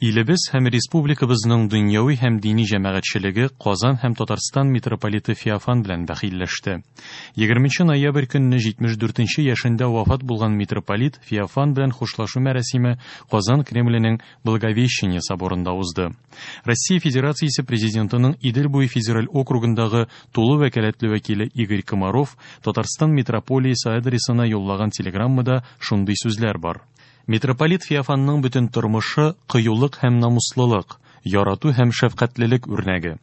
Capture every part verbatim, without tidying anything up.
Илебез һәм республикабызның дөньяви һәм дини җәмәгатьчелеге Казан һәм Татарстан митрополиты Феофан белән бәхилләште. Егерменче ноябрь көнне җитмеш дүртенче яшендә вафат булган митрополит Феофан белән хушлашу мәрасиме Казан Кремленең Благовещение соборында узды. Россия Федерациясе президентының Идел буе федераль округындагы тулы вәкаләтле вәкиле Игорь Комаров Татарстан митрополиясе адресына юллаган телеграммада шундый сүзләр бар. Митрополит Феофанның бөтен тормышы кыюлык һәм намуслылык, ярату һәм шәфкатьлелек үрнәге.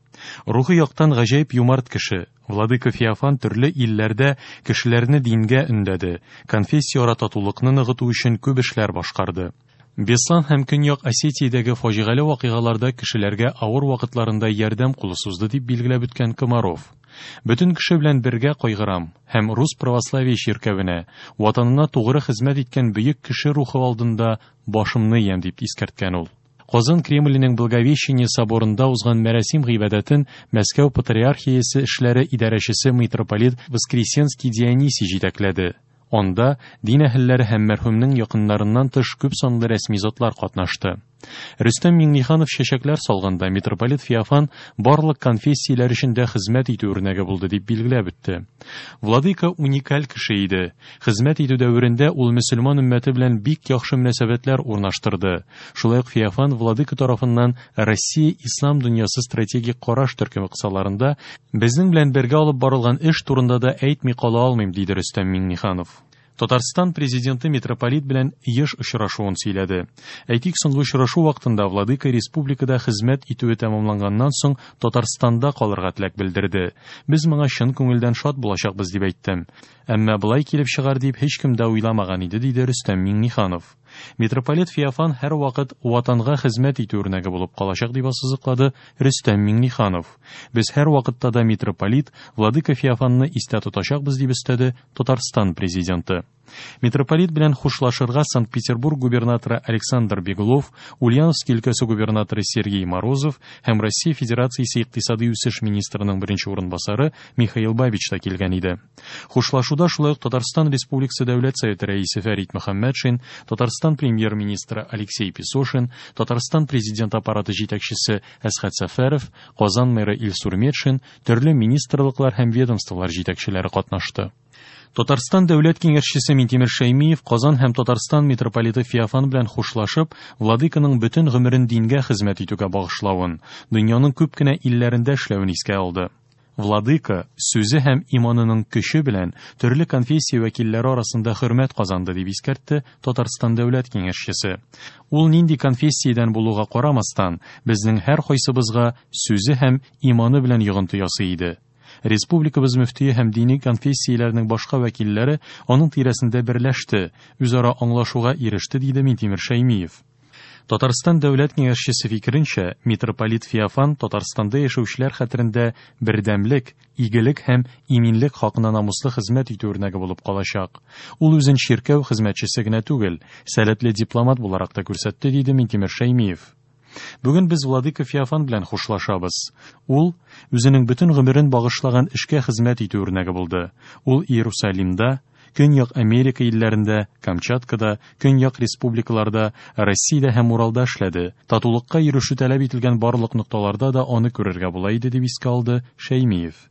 Рухи яктан гаҗәеп юмарт кеше, Владыка Феофан төрле илләрдә кешеләрне дингә өндәде, конфессияара татулыкны ныгыту өчен күп эшләр башкарды. Беслан һәм Көньяк Осетиядәге фаҗигале вакыйгаларда кешеләргә авыр вакытларында ярдәм кулы сузды, дип билгеләп үткән Комаров. Бөтен кеше белән бергә кайгырам һәм Рус православие чиркәвенә, ватанына тугры хезмәт иткән бөек кеше рухы алдында башымны иям, дип искәрткән ул. Казан Кремленең Благовещение соборында узган мәрасим гыйбадәтен Мәскәү патриархиясе эшләре идарәчесе митрополит Воскресенский Дионисий җитәкләде. Анда дин әһелләре һәм мәрхүмнең якыннарыннан тыш күп санлы рәсми затлар катнашты. Рөстәм Миңнеханов чәчәкләр салганда митрополит Феофан барлык конфессияләр өчен дә хезмәт итү үрнәге булды, дип билгеләп үтте. Владыка уникаль кеше иде. Хезмәт итү дәверендә ул мөселман өммәте белән бик яхшы мөнәсәбәтләр урнаштырды. Шулай ук Феофан Владыка тарафыннан Россия ислам дөньясы стратегик караш төркеме кысаларында безнең белән бергә алып барылган эш турында да әйтми кала алмыйм, диде Рөстәм Миңнеханов. Татарстан президенты митрополит белән еш очрашуын сөйләде. Әйтик, соңгы очрашу вакытында Владыка республикада хезмәт итүе тәмамланганнан соң Татарстанда калырга теләк белдерде. Без моңа чын күңелдән шат булачакбыз, дип әйттем. Әмма былай килеп чыгар дип һич кем дә уйламаган иде, диде Рөстәм Миңнеханов. Митрополит Феофан һәр вакыт ватанга хезмәт итү үрнәге булып калачак, дип ассызыклады Рөстәм Миңнеханов. Без һәр вакытта да митрополит Владыка Феофанны истә тотачакбыз, дип өстәде Татарстан президенты. Митрополит белән хушлашырга Санкт-Петербург губернаторы Александр Беглов, Ульяновск өлкәсе губернаторы Сергей Морозов һәм Россия Федерациясе икътисади үсеш министрының беренче урынбасары Михаил Бабич та килгән иде. Хушлашуда шулай ук Татарстан Республикасы Дәүләт Советы рәисе Фәрит Мөхәммәтшин, Татарстан премьер-министры Алексей Песошин, Татарстан президент аппараты җитәкчесе Әсхәт Сәфәров, Казан мэры Илсур Метшин, төрле министрлыклар һәм ведомстволар җитәкчеләре катнашты. Татарстан Дәүләт Киңәшчесе Минтимер Шәймиев Казан һәм Татарстан митрополиты Феофан белән хушлашып, Владыканың бөтен гомерен дингә хезмәт итүгә багышлавын, дөньяның күп кенә илләрендә эшләвен искә алды. Владыка сүзе һәм иманының көче белән төрле конфессия вәкилләре арасында хөрмәт казанды, дип искәртте Татарстан Дәүләт Киңәшчесе. Ул нинди конфессиядән булуга карамастан, безнең һәр кайсыбызга сүзе һәм иманы белән йогынты ясый иде. Республикабыз мөфтие һәм дини конфессияләрнең башка вәкилләре аның тирәсендә берләште, үзара аңлашуга иреште, диде Минтимер Шәймиев. Татарстан Дәүләт Киңәшчесе фикеренчә, митрополит Феофан Татарстанда яшәүчеләр хәтерендә бердәмлек, игелек һәм иминлек хакына намуслы хезмәт итү үрнәге булып калачак. Ул үзен чиркәү хезмәтчесе генә түгел, сәләтле дипломат буларак та күрсәтте, диде Минтимер Шәймиев. Бүген без Владыка Феофан белән хушлашабыз. Ул үзенең бөтен гомерен багышлаган эшкә хезмәт итү үрнәге булды. Ул Иерусалимда, Көньяк Америка илләрендә, Камчаткада, Көньяк республикаларда, Россиядә һәм Уралда эшләде. Татулыкка ирешү таләп ителгән барлык нокталарда да аны күрергә була иде, дип искә алды Шәймиев.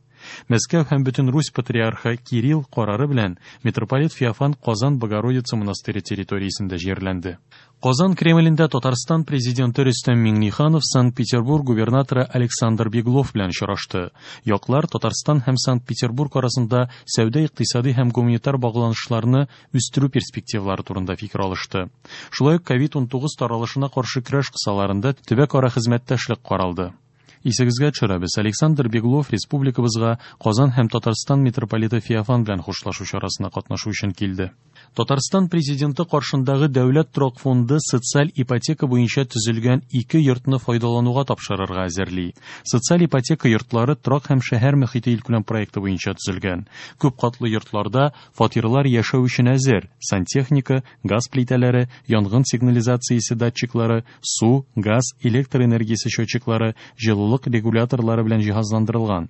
Мәскәү һәм бөтен Русь патриархы Кирилл карары белән митрополит Феофан Казан Богородица монастыре территориясендә җирләнде. Казан Кремлендә Татарстан президенты Рөстәм Миңнеханов Санкт-Петербург губернаторы Александр Беглов белән очрашты. Яклар Татарстан һәм Санкт-Петербург арасында сәүдә-икътисади һәм гуманитар багланышларны үстерү перспективалары турында фикер алышты. Шулай ук ковид унтугыз таралышына каршы көрәш кысаларында төбәкара хезмәттәшлек каралды. Исегезгә төшерәбез, Александр Беглов республикабызга Казан һәм Татарстан митрополиты Феофан белән хушлашу чарасына катнашу өчен килде. Татарстан президенты каршындагы Дәүләт торак фонды социаль ипотека буенча төзелгән ике йортны файдалануга тапшырырга әзерли. Социаль ипотека йортлары торак һәм шәһәр мөхите илкүләм проекты буенча төзелгән. Күп катлы йортларда фатирлар яшәү өчен әзер. Сантехника, газ плитәләре, янгын сигнализациясе датчиклары, су, газ, электр энергиясе счетчиклары, җылылык регуляторлары белән җиһазландырылган.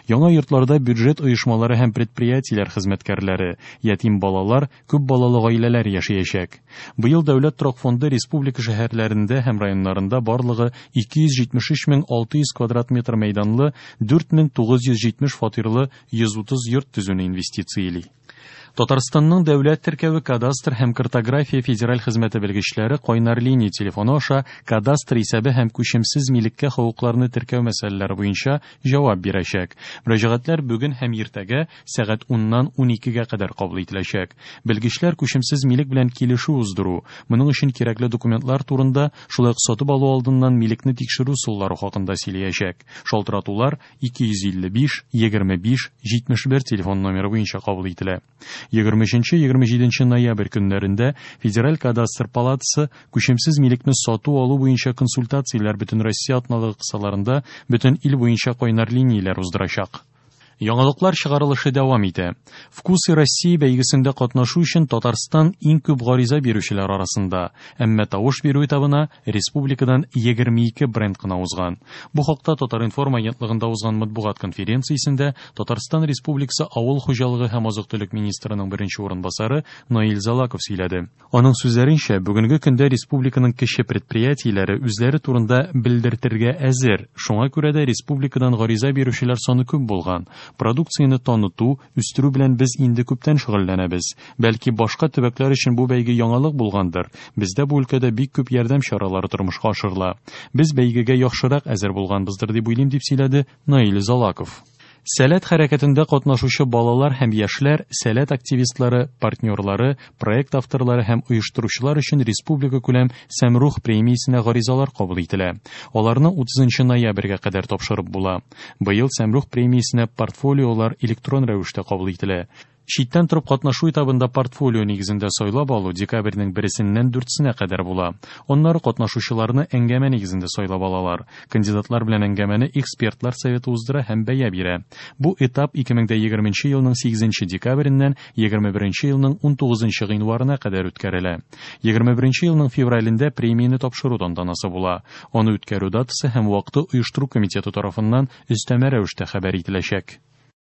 Яңа йортларда бюджет оешмалары һәм предприятиеләр хезмәткәрләре, ятим балалар, күп балалы гаиләләр яшәячәк. Быел Дәүләт торак фонды республика шәһәрләрендә һәм районнарында барлыгы ике йөз җитмеш өч мең алты йөз квадрат метр мәйданлы дүрт мең тугыз йөз җитмеш фатирлы йөз утыз йорт төзүне инвестицияли. Татарстанның дәүләт теркәве кадастр һәм картография федераль хезмәте белгечләре кайнар линия телефоны аша кадастр исәбе һәм күчемсез милеккә хокукларны теркәү мәсьәләләре буенча җавап бирәчәк. Мөрәҗәгатьләр бүген һәм иртәгә сәгать уннан уникегә кадәр кабул ителәчәк. Белгечләр күчемсез милек белән килешү уздыру, моның өчен кирәкле документлар турында, шулай ук сатып алу алдыннан милекне тикшерү ысуллары хакында сөйләячәк. Шалтыратулар ике йөз илле биш, егерме биш, җитмеш бер телефон номеры буенча кабул ителә. Егерме өченче, егерме җиденче ноябрь көннәрендә Федераль кадастр палатасы күчемсез милекне сату алу буенча консультацияләр бөтен Россия атналыгы кысаларында бөтен ил буенча кайнар линияләр уздырачак. Яңалыклар чыгарылышы дәвам итә. Вкусы России бәйгесендә катнашу өчен Татарстан иң күп гариза бирүчеләр арасында, әмма тавыш бирү этабына республикадан егерме ике бренд кына узган. Бу хакта Татар-информ агентлыгында узган матбугат конференциясендә Татарстан Республикасы Авыл хуҗалыгы һәм азык-төлек министрының беренче урынбасары Наил Залаков сөйләде. Аның сүзләренчә, бүгенге көндә республиканың кече предприятиеләре үзләре турында белдертергә әзер. Шуңа күрә дә республикадан гариза бирүчеләр саны күп булган. Продукцияне таныту, үстерү белән без инде күптән шөгыльләнәбез. Бәлки башка төбәкләр өчен бу бәйге яңалык булгандыр. Бездә бу өлкәдә бик күп ярдәм чаралары тормышка ашырыла. Без бәйгегә яхшырак әзер булганбыздыр дип уйлыйм, дип сөйләде Наил Залаков. Сәләт хәрәкәтендә катнашучы балалар һәм яшьләр, сәләт активистлары, партнерлары, проект авторлары һәм оештыручылар өчен республика күләм Сәмрух премиясенә гаризалар кабул ителә. Аларны утызынчы ноябрьгә кадәр тапшырып була. Быел Сәмрух премиясенә портфолиолар электрон рәвештә кабул ителә. Читтән торып катнашу этабында портфолио нигезендә сайлап алу декабрьнең берсеннән дүртсенә кадәр була. Аннары катнашучыларны әңгәмә нигезендә сайлап алалар. Кандидатлар белән әңгәмәне экспертлар советы уздыра һәм бәя бирә. Бу этап ике мең дә егерменче елның сигезенче декабреннән егерме беренче елның унтугызынчы гыйнварына кадәр үткәрелә. Егерме беренче елның февралендә премияне тапшыру тантанасы була. Аны үткәрү датасы һәм вакыты оештыру комитеты тарафыннан өстәмә рәвештә хәбәр ителәчәк.